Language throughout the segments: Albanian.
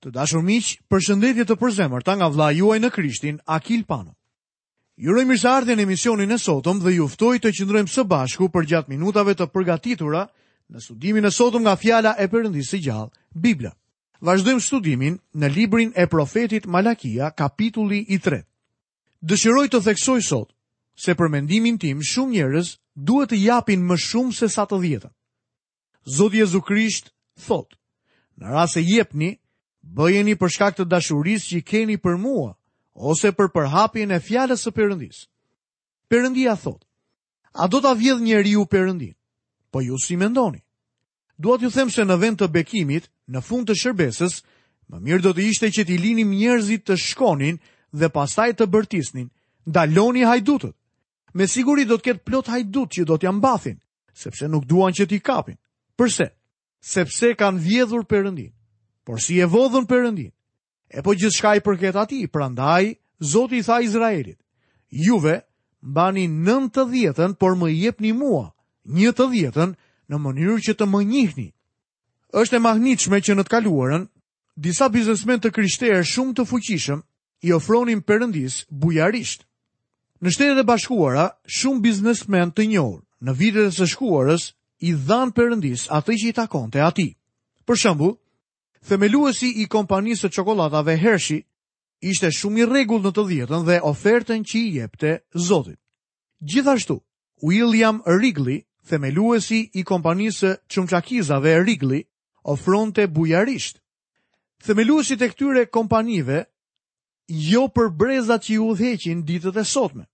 Të dashur miq, përshëndetje të përzemërta nga vëllai juaj në Krishtin, Akil Pano. Ju uroj mirëseardhjen në emisionin e sotëm dhe ju ftoj të qëndrojmë së bashku përgjatë minutave të përgatitura në studimin e sotëm nga fjala e Perëndisë së gjallë, Bibla. Vazhdojmë studimin në librin e profetit Malakia, kapitulli i tretë. Dëshiroj të theksoj sot se për mendimin tim shumë njerëz duhet të japin më shumë se sa të dhjetën. Zoti Jezu Krisht thotë, në rast se jepni, bëjeni për shkak të dashurisë që keni për mua, ose për përhapjen e fjalës së Perëndisë. Perëndia thotë, a do ta vjedhë njeriu Perëndinë? Po ju si mendoni? Dua t'ju them se në vend të bekimit, në fund të shërbesës, më mirë do të ishte që t'i linim njerëzit të shkonin dhe pastaj të bërtisnin, ndaloni hajdutët. Me siguri do të ketë plot hajdutë që do t'ia mbathin, sepse nuk duan që t'i kapin. Përse? Sepse kanë vjedhur Perëndinë. Por si e vodhën Perëndinë? E po gjithçka i përket atij, prandaj Zoti i tha Izraelit, juve mbani 9 të dhjetën, por më jepni mua një të dhjetën në mënyrë që të më njihni. Është e mahnitshme që në të kaluarën, disa biznesmenë të krishterë shumë të fuqishëm i ofronin Perëndisë bujarisht. Në Shtetet e Bashkuara, shumë biznesmenë të njohur në vitet e së shkuarës i dhanë Perëndisë atë që i takonte atij. Për shembull, themeluesi i kompanisë së çokollatave Hershey ishte shumë i rregullt në të dhjetën dhe ofertën që i jepte Zotit. Gjithashtu, William Wrigley, themeluesi i kompanisë së çamçakëzave Wrigley, ofronte bujarisht. Themeluesit e këtyre kompanive jo për brezat që i udhëheqin ditët e sotme,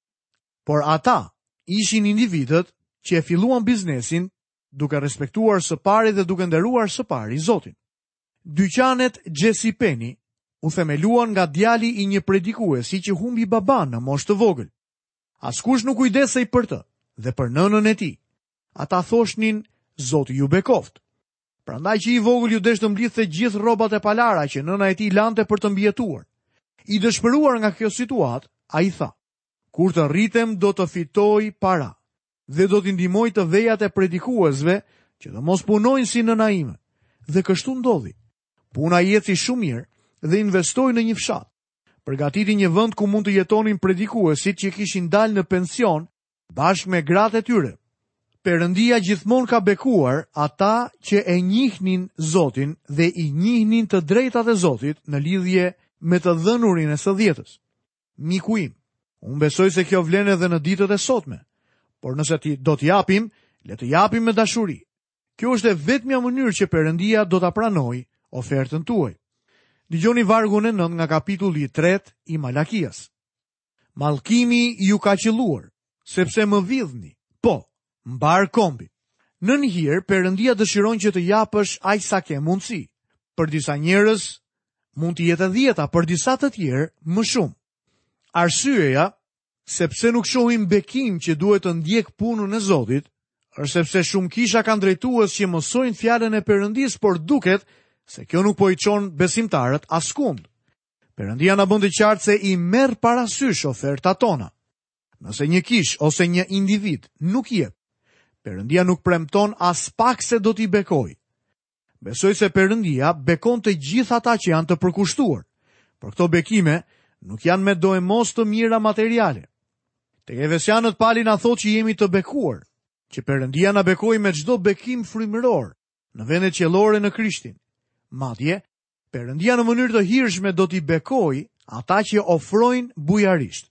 por ata ishin individët që e filluan biznesin duke respektuar së pari dhe duke nderuar së pari Zotin. Dyqanet J.C. Penney u themeluan nga djali i një predikuesi që humbi babanë në moshë të vogël. Askush nuk kujdesej për të dhe për nënën e tij. Ata thoshnin, Zoti ju bekoftë. Prandaj që i vogël iu desh të mblidhte gjithë rrobat e palara që nëna e tij lante për të mbijetuar. I dëshpëruar nga kjo situatë, ai tha: Kur të rritem do të fitoj para dhe do t'i ndihmoj të vejat e predikuesve që të mos punojnë si nëna ime. Dhe kështu ndodhi. Puna i eci shumë mirë dhe investoi në një fshat. Përgatiti një vend ku mund të jetonin predikuesit që kishin dalë në pension bashkë me gratë e tyre. Perëndia gjithmonë ka bekuar ata që e njihnin Zotin dhe i njihnin të drejtat e Zotit në lidhje me të dhënurin e së dhjetës. Miku im, unë besoj se kjo vlen edhe në ditët e sotme, por nëse ti do të japim, le të japim me dashuri. Kjo është e vetmja mënyrë që Perëndia do ta pranojë ofertën tuaj. Dëgjoni vargun e 9 nga kapitulli i 3 i Malakias. Mallkimi ju ka qëlluar, sepse më vidhni, po, mbarë kombi. Nën hir, Perëndia dëshiron që të japësh aq sa ke mundësi. Për disa njerëz, mund të jetë e dhjeta, për disa të tjerë, më shumë. Arsyeja, se pse nuk shohim bekim që duhet të ndjekë punën e Zotit, është sepse shumë kisha kanë drejtues që mësojnë fjalën e Perëndisë, por duket se kjo nuk po i çon besimtarët askund. Perëndia na bën të qartë se i merr parasysh ofertat tona. Nëse një kishë ose një individ nuk jep, Perëndia nuk premton aspak se do t'i bekojë. Besoj se Perëndia bekon të gjithë ata që janë të përkushtuar. Por këto bekime nuk janë me doemos të mira materiale. Tek Efesianët Pali na thotë që jemi të bekuar, që Perëndia na bekoi me çdo bekim frymëror në vendet qiellore në Krishtin. Madje, Perëndia në mënyrë të hirshme do t'i bekojë ata që ofrojnë bujarisht.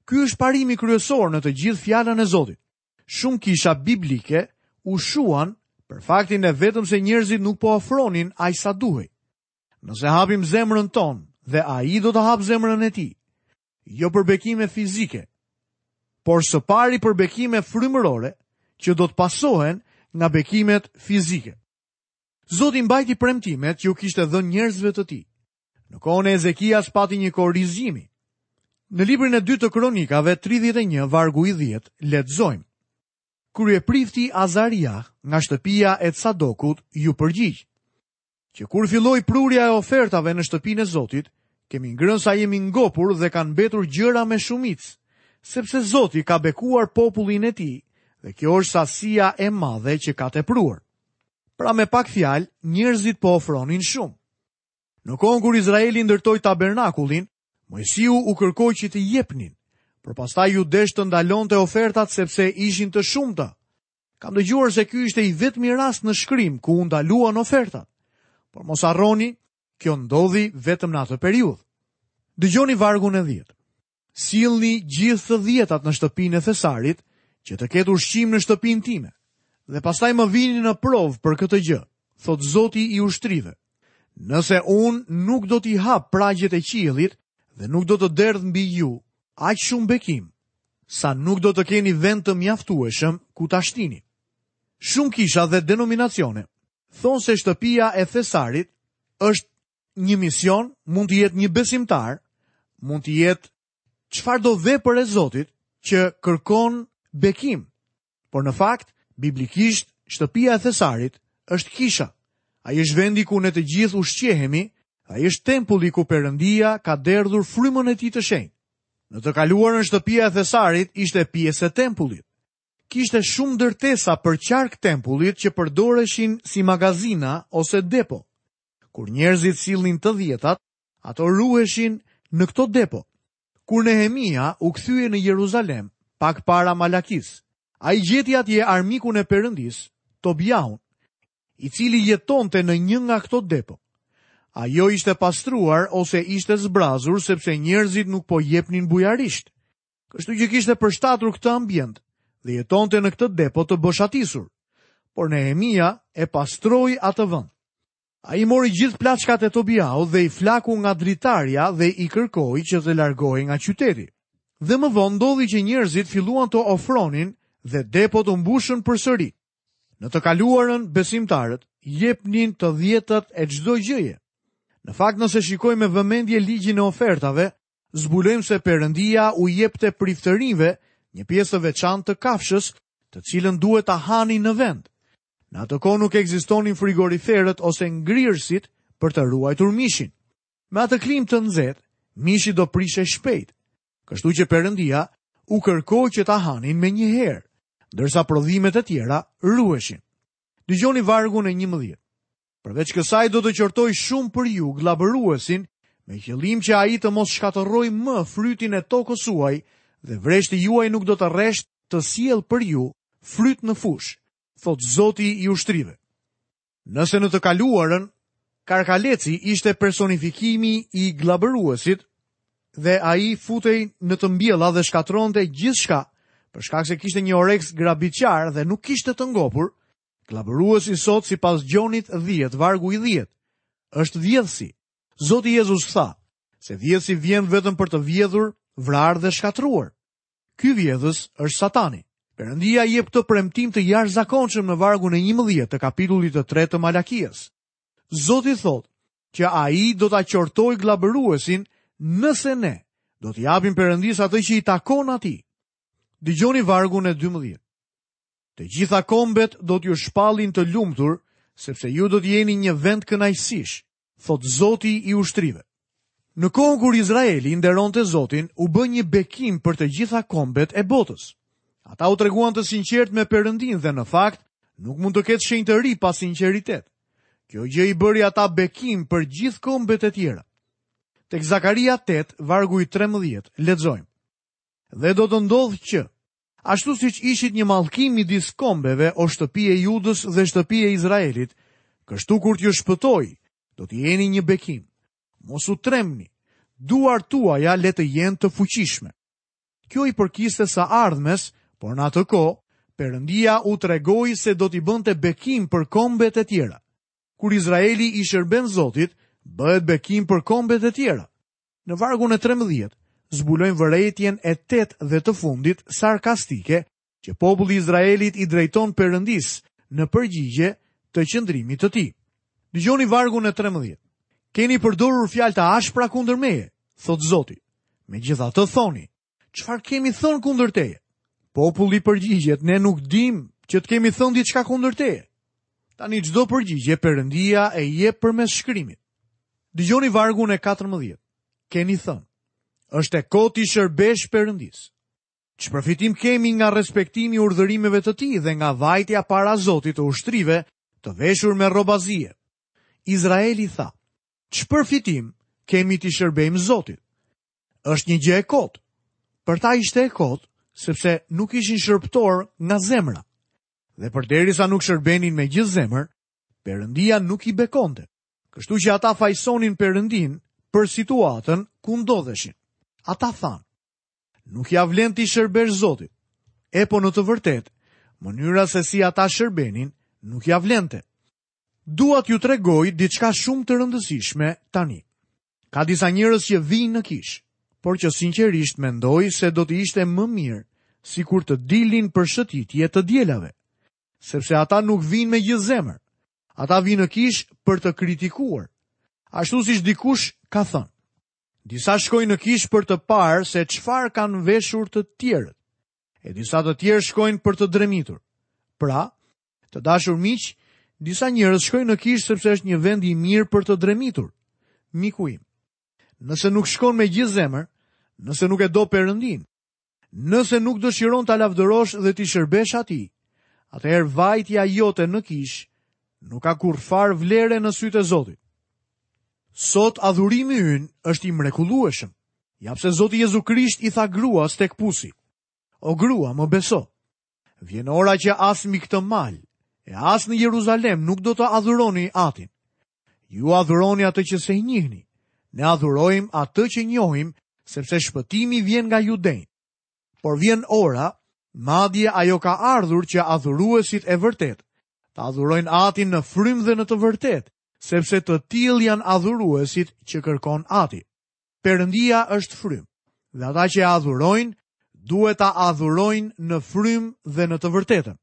Ky është parimi kryesor në të gjithë fjalën e Zotit. Shumë kisha biblike u shuan për faktin e vetëm se njerëzit nuk po ofronin aq sa duhej. Nëse hapim zemrën tonë dhe ai do të hapë zemrën e tij, jo për bekime fizike, por së pari për bekime frymërore që do të pasohen nga bekimet fizike. Zoti mbajti premtimet që u kishte dhënë njerëzve të tij. Në kohën e Ezekias pati një kohë rizgjimi. Në librin e dytë të Kronikave 31 vargu i 10 lexojmë. Kryeprifti Azaria nga shtëpia e Cadokut iu përgjigj. Që kur filloi prurja e ofertave në shtëpinë e Zotit, kemi ngrënë sa jemi ngopur dhe kanë mbetur gjëra me shumicë, sepse Zoti ka bekuar popullin e tij dhe kjo është sasia e madhe që ka tepruar. Pra me pak fjalë, njerëzit po ofronin shumë. Në kohën kur Izraeli ndërtoi tabernakullin, Moisiu u kërkoi që të jepnin, por pastaj iu desh të ndalonte ofertat sepse ishin të shumta. Kam dëgjuar se ky ishte i vetmi rast në shkrim ku u ndaluan ofertat. Por mos harroni, kjo ndodhi vetëm në atë periudhë. Dëgjoni vargun e 10. Sillni gjithë të dhjetat në shtëpinë e thesarit, që të ketë ushqim në shtëpinë time. Dhe pastaj më vini në provë për këtë gjë, thotë Zoti i ushtrive. Nëse unë nuk do t'i hap pragjet e qiellit dhe nuk do të derdh mbi ju aq shumë bekim, sa nuk do të keni vend të mjaftueshëm ku ta shtini. Shumë kisha dhe denominacione thonë se shtëpia e thesarit është një mision, mund të jetë një besimtar, mund të jetë çfarëdo vepër e Zotit që kërkon bekim. Por në fakt, biblikisht, shtëpia e thesarit është kisha. Ai është vendi ku ne të gjithë ushqehemi, ai është tempulli ku Perëndia ka derdhur frymën e tij të shenjtë. Në të kaluarën shtëpia e thesarit ishte pjesë e tempullit. Kishte shumë ndërtesa përqark tempullit që përdoreshin si magazina ose depo. Kur njerëzit sillnin të dhjetat, ato ruheshin në këto depo. Kur Nehemia u kthye në Jeruzalem, pak para Malakisë, ai gjeti atje armikun e Perëndisë, Tobiahun, i cili jetonte në një nga këto depo. Ajo ishte pastruar ose ishte zbrazur sepse njerëzit nuk po jepnin bujarisht. Kështu që kishte përshtatur këtë ambient dhe jetonte në këtë depo të boshatisur. Por Nehemia e pastroi atë vend. Ai mori gjithë plaçkat e Tobiahut dhe i flaku nga dritarja dhe i kërkoi që të largohej nga qyteti. Dhe më vonë ndodhi që njerëzit filluan të ofronin dhe depot u mbushën përsëri. Në të kaluarën besimtarët jepnin të dhjetat e çdo gjëje. Në fakt nëse shikojmë me vëmendje ligjin e ofertave, zbulojmë se Perëndia u jepte priftërinjve një pjesë të veçantë të kafshës, të cilën duhet ta hanin në vend. Në atë kohë nuk ekzistonin frigoriferët ose ngrirësit për të ruajtur mishin. Me atë klimë të nxehtë, mishi do prishej shpejt. Kështu që Perëndia u kërkoi që ta hanin menjëherë, ndërsa prodhimet e tjera ruheshin. Dëgjoni vargun e 11. Përveç kësaj do të qortoj shumë për ju gllabëruesin, me qëllim që ai të mos shkatërrojë më frytin e tokës suaj dhe vreshti juaj nuk do të rreshtë të sjellë për ju fryt në fushë, thotë Zoti i ushtrive. Nëse në të kaluarën, karkaleci ishte personifikimi i gllabëruesit dhe ai futej në të mbjella dhe shkatërronte gjithçka, për shkak se kishte një oreks grabitqar dhe nuk kishte të ngopur, Gllabëruesi sot sipas Gjonit 10, vargu i 10, është vjedhësi. Zoti Jezus tha se vjedhësi vjen vetëm për të vjedhur, vrarë dhe shkatërruar. Ky vjedhës është Satani. Perëndia jep këtë premtim të jashtëzakonshëm në vargun e 11 të kapitullit të 3 të Malakias. Zoti thotë që ai do ta qortojë gllabëruesin nëse ne do t'i japim Perëndisë atë që i takon atij. Dëgjoni vargun e 12. Të gjitha kombet do t'ju shpallin të lumtur, sepse ju do të jeni një vend kënaqësish, thotë Zoti i ushtrive. Në kohën kur Izraeli nderonte Zotin, u bë një bekim për të gjitha kombet e botës. Ata u treguan të sinqertë me Perëndinë dhe në fakt nuk mund të ketë shenjtëri pa sinqeritet. Kjo gjë i bëri ata bekim për gjithë kombet e tjera. Tek Zakaria 8, vargu i 13, lexojmë. Dhe do të ndodhë që, Ashtu siç ishit një mallkim midis kombeve, o shtëpi e Judës dhe shtëpi e Izraelit, kështu kur t'ju shpëtoj, do të jeni një bekim. Mos u trembni, duart tuaja le të jenë të fuqishme. Kjo i përkiste së ardhmes, por në atë kohë, Perëndia u tregoi se do t'i bënte bekim për kombet e tjera. Kur Izraeli i shërben Zotit, bëhet bekim për kombet e tjera. Në vargun e 13, zbulojmë vërejtjen e tetë dhe të fundit sarkastike që populli i Izraelit i drejton Perëndisë në përgjigje të qëndrimit të tij. Dëgjoni vargun e 13. Keni përdorur fjalë të ashpra kundër meje, thotë Zoti. Megjithatë thoni, çfarë kemi thënë kundër teje? Populli përgjigjet, ne nuk dimë që të kemi thënë diçka kundër teje. Tani çdo përgjigje Perëndia e jep përmes shkrimit. Dëgjoni vargun e 14. Keni thënë, është e kotë t'i shërbesh Perëndisë. Ç'përfitim kemi nga respektimi i urdhërimeve të tij dhe nga vajtja para Zotit të ushtrive të veshur me rroba zie. Izraeli tha, Ç'përfitim kemi t'i shërbejmë Zotit? Është një gjë e kotë. Për ta ishte e kotë, sepse nuk ishin shërbëtorë nga zemra. Dhe përderisa nuk shërbenin me gjithë zemër, Perëndia nuk i bekonte. Kështu që ata fajësonin Perëndinë për situatën ku ndodheshin. Ata thanë, nuk ia vlen t'i shërbesh Zotit. E po në të vërtetë, mënyra se si ata shërbenin nuk ia vlente. Dua t'ju tregoj diçka shumë të rëndësishme tani. Ka disa njerëz që vijnë në kishë, por që sinqerisht mendoj se do të ishte më mirë sikur të dilnin për shëtitje të dielave, sepse ata nuk vijnë me gjithë zemër. Ata vijnë në kishë për të kritikuar, ashtu siç dikush ka thënë. Disa shkojnë në kishë për të parë se çfarë kanë veshur të tjerët, e disa të tjerë shkojnë për të dremitur. Pra, Të dashur miq, disa njerëz shkojnë në kishë sepse është një vend i mirë për të dremitur. Miku im, nëse nuk shkon me gjithë zemër, nëse nuk e do Perëndinë, nëse nuk dëshiron ta lavdërosh dhe t'i shërbesh atij, atëherë vajtja jote në kishë nuk ka kurrfarë vlere në sytë e Zotit. Sot adhurimi ynë është i mrekullueshëm. Ja pse Zoti Jezu Krisht i tha gruas tek pusi. O grua, më beso. Vjen ora që as mbi këtë mal, e as në Jeruzalem nuk do të adhuroni Atin. Ju adhuroni atë që s'e njihni. Ne adhurojmë atë që njohim, sepse shpëtimi vjen nga judenjtë. Por vjen ora, madje ajo ka ardhur që adhuruesit e vërtetë, të adhurojnë Atin në frymë dhe në të vërtetë, sepse të tillë janë adhuruesit që kërkon Ati. Perëndia është frymë, dhe ata që e adhurojnë duhet ta adhurojnë në frymë dhe në të vërtetën.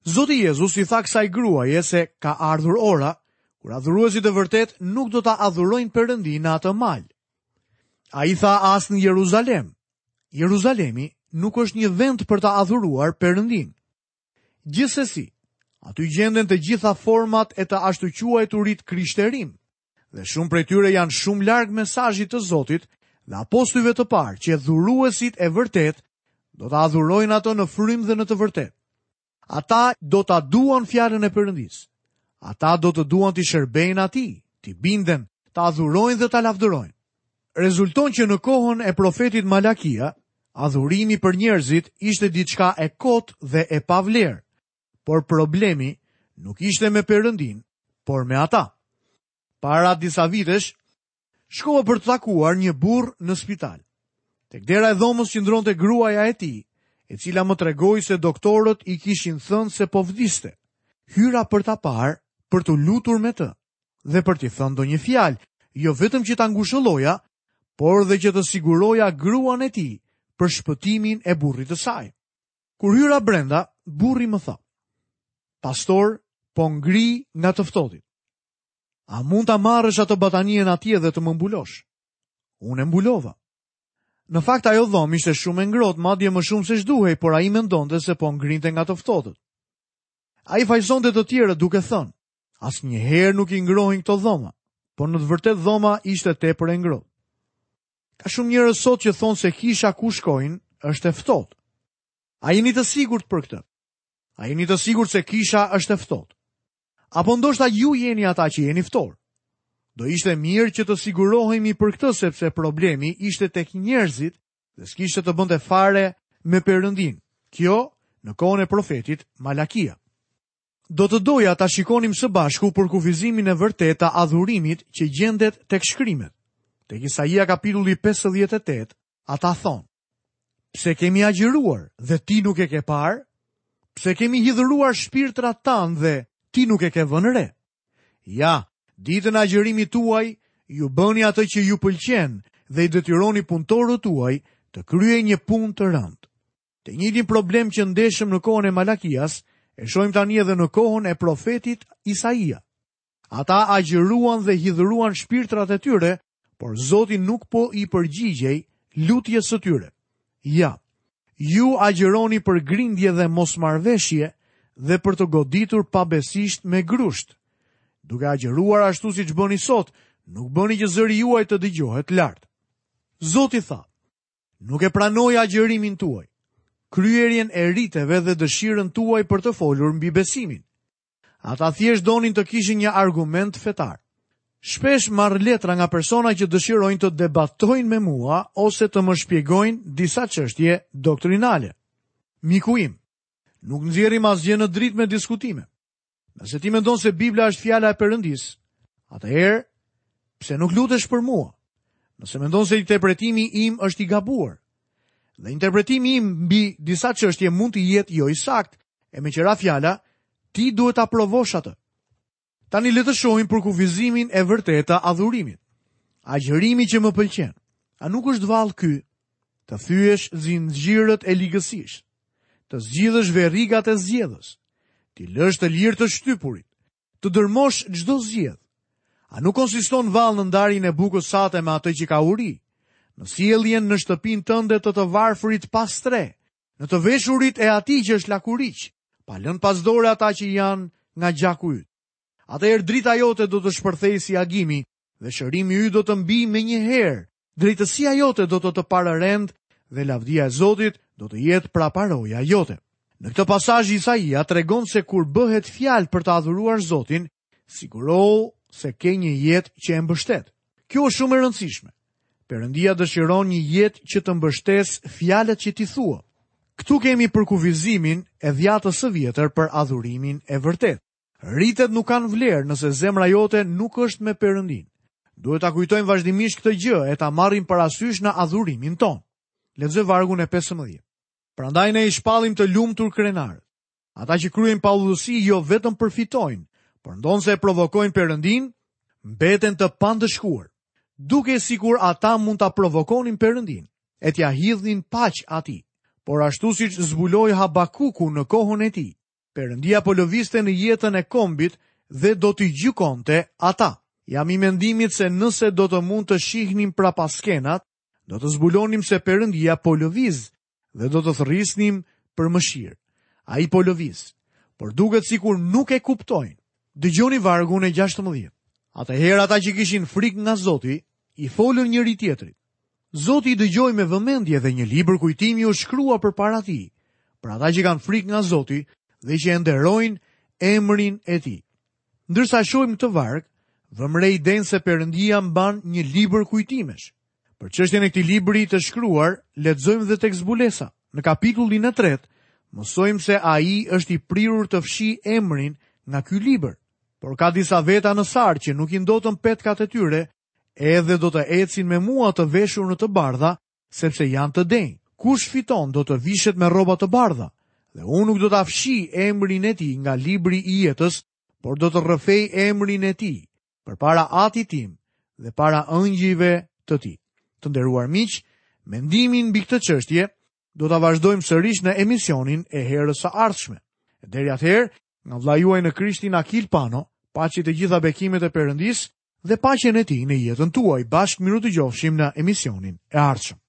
Zoti Jezus i tha kësaj gruaje se ka ardhur ora kur adhuruesit e vërtetë nuk do ta adhurojnë Perëndinë në atë mal. Ai tha as në Jeruzalem. Jeruzalemi nuk është një vend për ta adhuruar Perëndinë. Gjithsesi, aty gjenden të gjitha format e të ashtuquajturit krishterim. Dhe shumë prej tyre janë shumë larg mesazhit të Zotit dhe apostujve të parë që adhuruesit e vërtetë do ta adhurojnë atë në frymë dhe në të vërtetë. Ata do ta duan fjalën e Perëndisë. Ata do të duan t'i shërbejnë atij, t'i binden, ta adhurojnë dhe ta lavdërojnë. Rezulton që në kohën e profetit Malakia, adhurimi për njerëzit ishte diçka e kotë dhe e pavlerë, Por problemi nuk ishte me Perëndinë, por me ata. Para disa vitesh, shkova për të takuar një burrë në spital. Tek dera e dhomës qëndronte gruaja e tij, e cila më tregoi se doktorët i kishin thënë se po vdiste. Hyra për ta parë, për t'u lutur me të dhe për t'i thënë ndonjë fjalë, jo vetëm që ta ngushëlloja, por dhe që të siguroja gruan e tij për shpëtimin e burrit të saj. Kur hyra brenda, burri më tha: "Pastor, po ngrij nga të ftohtit. A mund ta marrësh atë batanijen atje dhe të më mbulosh?" Unë e mbulova. Në fakt ajo dhomë ishte shumë e ngrohtë, madje më shumë se ç'duhej, por ai mendonte se po ngrinte nga të ftohtët. Ai fajësonte të tjerët duke thënë, asnjëherë nuk i ngrohin këto dhoma, por në të vërtetë dhoma ishte tepër e ngrohtë. Ka shumë njerëz sot që thonë se kisha ku shkojnë është e ftohtë. A jeni të sigurt për këtë? A jeni të sigurt se kisha është e ftohtë? Apo ndoshta ju jeni ata që jeni ftohur? Do ishte mirë që të sigurohemi për këtë sepse problemi ishte tek njerëzit dhe s'kishte të bënte fare me Perëndinë. Kjo në kohën e profetit Malakia. Do të doja ta shikonim së bashku përkufizimin e vërtetë të adhurimit që gjendet tek shkrimet. Tek Isaia kapitulli 58, ata thonë: Pse kemi agjëruar dhe ti nuk e ke parë? Pse kemi hidhëruar shpirtrat tanë dhe ti nuk e ke vënë re? Ja, ditën e agjërimit tuaj, ju bëni atë që ju pëlqen dhe i detyroni punëtorët tuaj të kryejnë një punë të rëndë. Të njëjtin problem që ndeshëm në kohën e Malakias, e shohim tani edhe në kohën e profetit Isaia. Ata agjëruan dhe hidhëruan shpirtrat e tyre, por Zoti nuk po i përgjigjej lutjes së tyre. Ja, ju agjëroni për grindje dhe mosmarrëveshje dhe për të goditur pabesisht me grusht. Duke agjëruar ashtu siç bëni sot, nuk bëni që zëri juaj të dëgjohet lart. Zoti tha, Nuk e pranoj agjërimin tuaj, kryerjen e riteve dhe dëshirën tuaj për të folur mbi besimin. Ata thjesht donin të kishin një argument fetar. Shpesh marr letra nga persona që dëshirojnë të debatojnë me mua ose të më shpjegojnë disa çështje doktrinale. Miku im, nuk nxjerrim asgjë në dritë me diskutime. Nëse ti mendon se Bibla është fjala e Perëndisë, atëherë pse nuk lutesh për mua? Nëse mendon se interpretimi im është i gabuar, dhe interpretimi im mbi disa çështje mund të jetë jo i saktë, e meqë ra fjala, ti duhet ta provosh atë. Tani le të shohim përkufizimin e vërtetë të adhurimit. Agjërimi që më pëlqen. A nuk është vallë ky të thyesh zinxhirët e ligësisë, të zgjidhësh verigat e zgjedhës, t'i lësh të lirë të shtypurit, të dërmosh çdo zgjedhë. A nuk konsiston vallë në ndarjen e bukës sate me atë që ka uri, në sjelljen në shtëpinë tënde të të varfrit pa strehë, në të veshurit e atij që është lakuriq, pa lënë pas dore ata që janë nga gjaku yt. Atëherë drita jote do të shpërthejë si agimi dhe shërimi yt do të mbijë menjëherë. Drejtësia jote do të të pararendë dhe lavdia e Zotit do të jetë praparoja jote. Në këtë pasazh Isaia tregon se kur bëhet fjalë për të adhuruar Zotin, sigurohu se ke një jetë që e mbështet. Kjo është shumë e rëndësishme. Perëndia dëshiron një jetë që të mbështesë fjalët që ti thua. Këtu kemi përkufizimin e dhjatës së vjetër për adhurimin e vërtetë. Ritet nuk kanë vlerë nëse zemra jote nuk është me Perëndinë. Duhet ta kujtojmë vazhdimisht këtë gjë e ta marrim parasysh në adhurimin tonë. Lexoj vargun e 15. Prandaj ne i shpallim të lumtur krenarët. Ata që kryejnë paudhësi jo vetëm përfitojnë, por ndonëse e provokojnë Perëndinë, mbeten të pandëshkuar. Dukej sikur ata mund ta provokonin Perëndinë e t'ia hidhnin paq atij. Por ashtu siç zbuloi Habakuku në kohën e tij, Perëndia po lëvizte në jetën e kombit dhe do t'i gjykonte ata. Jam i mendimit se nëse do të mund të shihnim prapaskenat, do të zbulonim se Perëndia po lëviz dhe do të thërrisnim për mëshirë. Ai po lëviz, por duket sikur nuk e kuptojnë. Dëgjoni vargun e 16. Atëherë ata që kishin frikë nga Zoti, i folën njëri-tjetrit. Zoti i dëgjoi me vëmendje dhe një libër kujtimi u shkrua përpara tij, për ata që kanë frikë nga Zoti dhe që e nderojnë emrin e tij. Ndërsa shohim këtë varg, vëmë re idenë se Perëndia mban një libër kujtimesh. Për çështjen e këtij libri të shkruar, lexojmë dhe tek Zbulesa. Në kapitullin e tretë, mësojmë se ai është i prirur të fshijë emrin nga ky libër. Por ka disa veta në Sardë që nuk i ndotën petkat e tyre, edhe do të ecin me mua të veshur në të bardha, sepse janë të denjë. Kush fiton do të vishet me rroba të bardha, dhe unë nuk do ta fshij emrin e tij nga libri i jetës, por do të rrëfej emrin e tij përpara Atit tim dhe para ëngjëjve të tij. Të nderuar miq, mendimin mbi këtë çështje do ta vazhdojmë sërish në emisionin e herës së ardhshme. E deri atëherë, nga vëllai juaj në Krishtin Akil Pano, paçi të gjitha bekimet e Perëndisë dhe paqen e tij në jetën tuaj. Bashkë mirudëgjofshim në emisionin e ardhshëm.